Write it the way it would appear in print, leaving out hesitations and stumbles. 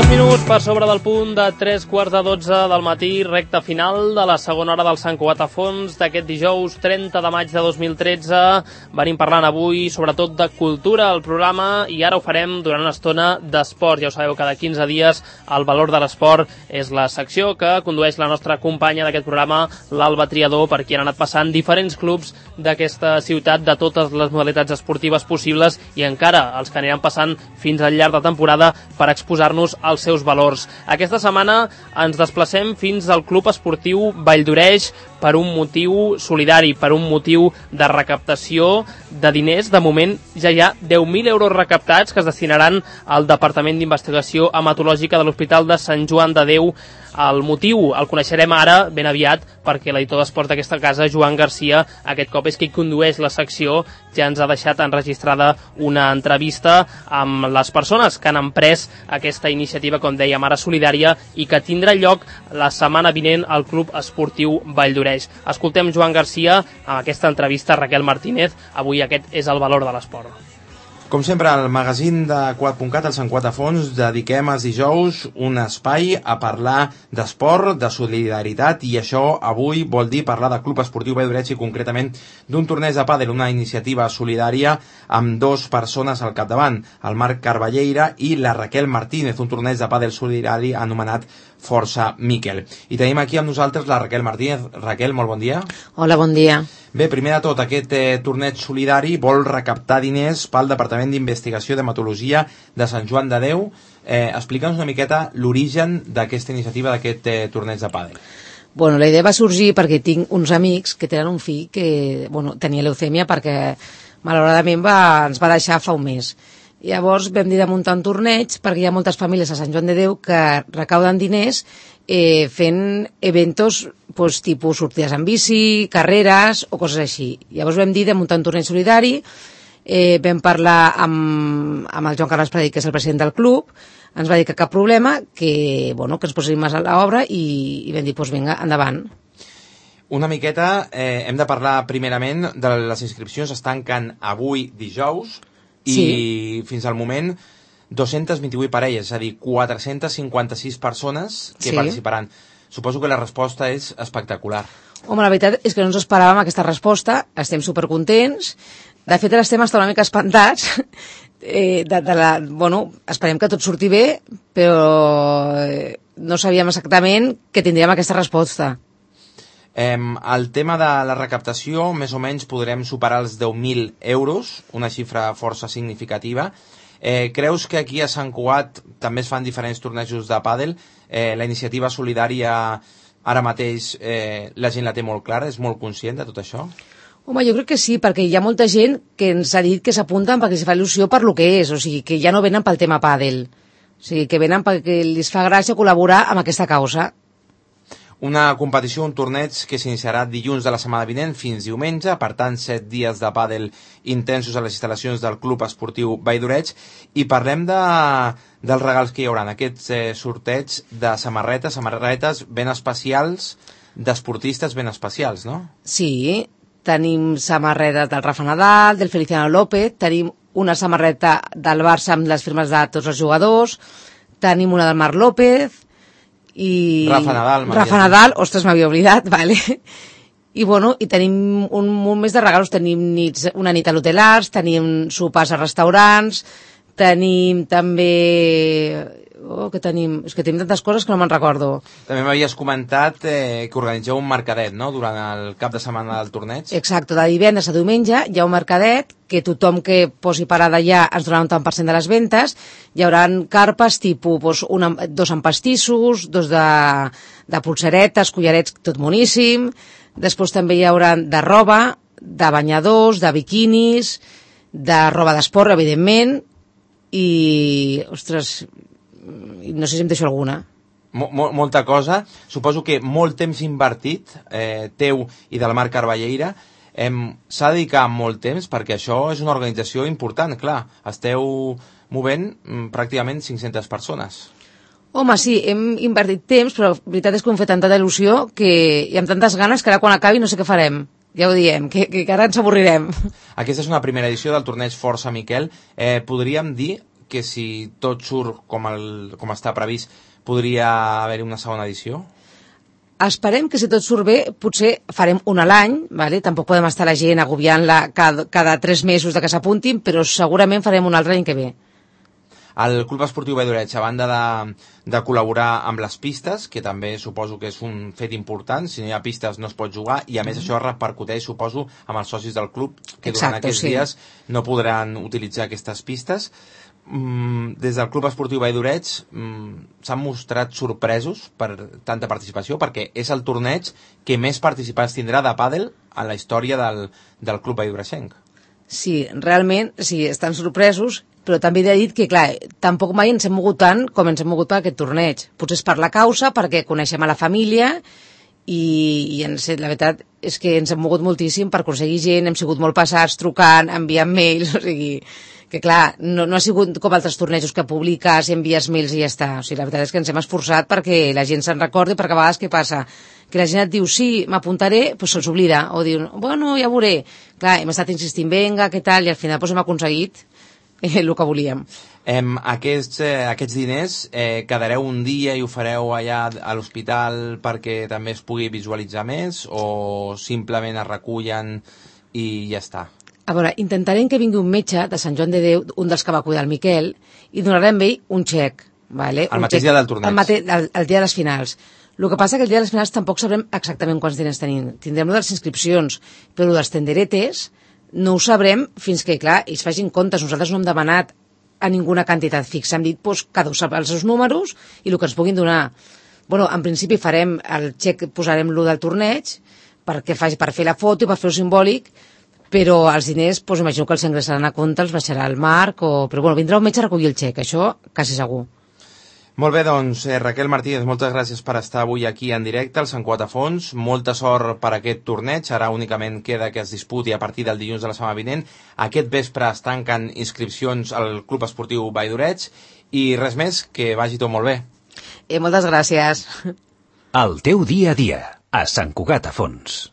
minuts per sobre del punt de 3:15 del matí, recta final de la segona hora del Sant Cugat a Fons d'aquest dijous 30 de maig de 2013. Venim parlant avui sobretot de cultura al programa i ara ho farem durant una estona d'esport. Ja ho sabeu, cada 15 dies el valor de l'esport és la secció que condueix la nostra companya d'aquest programa, l'Alba Triador, per qui han anat passant diferents clubs d'aquesta ciutat de totes les modalitats esportives possibles i encara els que aniran passant fins al llarg de temporada per exposar-nos als seus valors. Aquesta setmana ens desplacem fins al Club Esportiu Valldoreix per un motiu solidari, per un motiu de recaptació de diners. De moment ja hi ha 10.000 euros recaptats que es destinaran al Departament d'Investigació Hematològica de l'Hospital de Sant Joan de Déu. El motiu el coneixerem ara ben aviat perquè l'editor d'esports d'aquesta casa, Joan Garcia, aquest cop és qui condueix la secció, ja ens ha deixat enregistrada una entrevista amb les persones que han emprès aquesta iniciativa, com dèiem, ara solidària i que tindrà lloc la setmana vinent al Club Esportiu Valldoreix. Escoltem Joan Garcia amb aquesta entrevista a Raquel Martínez. Avui aquest és el valor de l'esport. Com sempre, al magazín de Quat.cat, al Sant Cugat a Fons, dediquem els dijous un espai a parlar d'esport, de solidaritat, i això avui vol dir parlar del Club Esportiu Valldoreix i concretament d'un torneig de pàdel, una iniciativa solidària amb dos persones al capdavant, el Marc Carballeira i la Raquel Martínez, un torneig de pàdel solidari anomenat Força Miquel. I tenim aquí amb nosaltres la Raquel Martínez. Raquel, molt bon dia. Hola, bon dia. Bé, primer de tot, aquest torneig solidari vol recaptar diners pel Departament d'Investigació d'Hematologia de Sant Joan de Déu. Explica'ns una miqueta l'origen d'aquesta iniciativa, d'aquest torneig de pàdel. Bueno, la idea va sorgir perquè tinc uns amics que tenen un fill que tenia leucèmia perquè malauradament ens va deixar fa un mes. Llavors vam dir de muntar un torneig perquè hi ha moltes famílies a Sant Joan de Déu que recauden diners fent eventos tipus sortides en bici, carreres o coses així. Llavors vam dir de muntar un torneig solidari, vam parlar amb el Joan Carles Pradell, que és el president del club, ens va dir que cap problema, que ens poséssim a l'obra i vam dir, vinga, endavant. Una miqueta, hem de parlar primerament de les inscripcions, es tanquen avui dijous, i fins al moment 228 parelles, és a dir, 456 persones que participaran. Suposo que la resposta és espectacular. Home, la veritat és que no ens esperàvem aquesta resposta, estem supercontents. De fet, estem una mica espantats. Esperem que tot surti bé, però no sabíem exactament que tindríem aquesta resposta. El tema de la recaptació, més o menys podrem superar els 10.000 euros, una xifra força significativa. Creus que aquí a Sant Cugat també es fan diferents tornejos de pàdel? La iniciativa solidària ara mateix la gent la té molt clara, és molt conscient de tot això? Home, jo crec que sí, perquè hi ha molta gent que ens ha dit que s'apunten perquè els fa il·lusió per lo que és, o sigui, que ja no venen pel tema pàdel, o sigui, que venen perquè els fa gràcia col·laborar amb aquesta causa. Una competició, un torneig que s'iniciarà dilluns de la setmana vinent fins diumenge, per tant 7 dies de pàdel intensos a les instal·lacions del Club Esportiu Valldoreix, i parlem dels regals que hi haurà, aquests sorteig de samarretes ben especials, d'esportistes ben especials, no? Sí, tenim samarreta del Rafa Nadal, del Feliciano López, tenim una samarreta del Barça amb les firmes de tots els jugadors, tenim una del Marc López, i Rafa Nadal, ostres, m'havia oblidat, vale. I tenim un munt més de regals, tenim una nit a l'Hotel Arts, tenim sopars a restaurants, tenim també... què tenim? És que tenim tantes coses que no me'n recordo. També m'havies comentat que organitzeu un mercadet, no?, durant el cap de setmana del torneig. Exacte, de divendres a diumenge hi ha un mercadet que tothom que posi parada allà ens donarà un tant per cent de les ventes. Hi haurà carpes tipus, dos amb pastissos, dos de pulseretes, collarets, tot moníssim. Després també hi haurà de roba, de banyadors, de biquinis, de roba d'esport, evidentment, i, ostres, no sé si em deixo alguna. Molta cosa. Suposo que molt temps invertit, teu i del Marc Carballeira. S'ha de dedicar molt temps perquè això és una organització important, clar. Esteu movent pràcticament 500 persones. Home, sí, hem invertit temps, però la veritat és que hem fet tanta il·lusió i amb tantes ganes que ara quan acabi no sé què farem. Ja ho diem, que ara ens avorrirem. Aquesta és una primera edició del torneig Força Miquel. Podríem dir que si tot surt com està previst podria haver-hi una segona edició? Esperem que si tot surt bé potser farem una a l'any, vale? Tampoc podem estar la gent agobiant-la cada 3 mesos de que s'apuntin, però segurament farem un altre any que ve. El Club Esportiu Vall d'Oreig, a banda de col·laborar amb les pistes, que també suposo que és un fet important, si no hi ha pistes no es pot jugar, i a més això repercuteix, suposo, amb els socis del club, que durant aquests dies no podran utilitzar aquestes pistes. Des del Club Esportiu Vall d'Oreig s'han mostrat sorpresos per tanta participació, perquè és el torneig que més participants tindrà de pàdel en la història del Club Vall d'Oreigenc. Sí, realment, sí, estan sorpresos, però també he dit que, clar, tampoc mai ens hem mogut tant com ens hem mogut per aquest torneig. Potser és per la causa, perquè coneixem a la família i la veritat és que ens hem mogut moltíssim per aconseguir gent, hem sigut molt passats, trucant, enviant mails, o sigui, que clar, no ha sigut com altres tornejos que publiques i envies mails i ja està. O sigui, la veritat és que ens hem esforçat perquè la gent se'n recordi, perquè a vegades què passa? Que la gent et diu, sí, m'apuntaré, doncs se'ls oblida, o diu, bueno, ja veuré. Clar, hem estat insistint, venga, què tal, i al final doncs hem aconseguit el que volíem. Aquests diners quedareu un dia i ho fareu allà a l'hospital perquè també es pugui visualitzar més, o simplement es recullen i ja està? A veure, intentarem que vingui un metge de Sant Joan de Déu, un dels que va cuidar el Miquel, i donarem a ell un xec. Vale? El mateix dia del torneig. El dia de les finals. El que passa que el dia de les finals tampoc sabrem exactament quants diners tenim. Tindrem de les inscripcions, però dels tenderetes no ho sabrem fins que, clar, ells facin comptes. Nosaltres no hem demanat a ninguna quantitat fixa. Hem dit, doncs, cada un sap els seus números i el que ens puguin donar. Bueno, en principi farem el xec, posarem l'1 del torneig per fer la foto i per fer-ho simbòlic, però els diners, doncs imagino que els ingressaran a compte, els baixarà el Marc, però bueno, vindrà un metge a recollir el xec, això quasi segur. Molt bé, doncs, Raquel Martínez, moltes gràcies per estar avui aquí en directe al Sant Cugat a Fons. Molta sort per aquest torneig. Ara únicament queda que es disputi a partir del dilluns de la setmana vinent. Aquest vespre es tanquen inscripcions al Club Esportiu Vall d'Oreig i res més, que vagi tot molt bé. Moltes gràcies. El teu dia a dia, a Sant Cugat a Fons.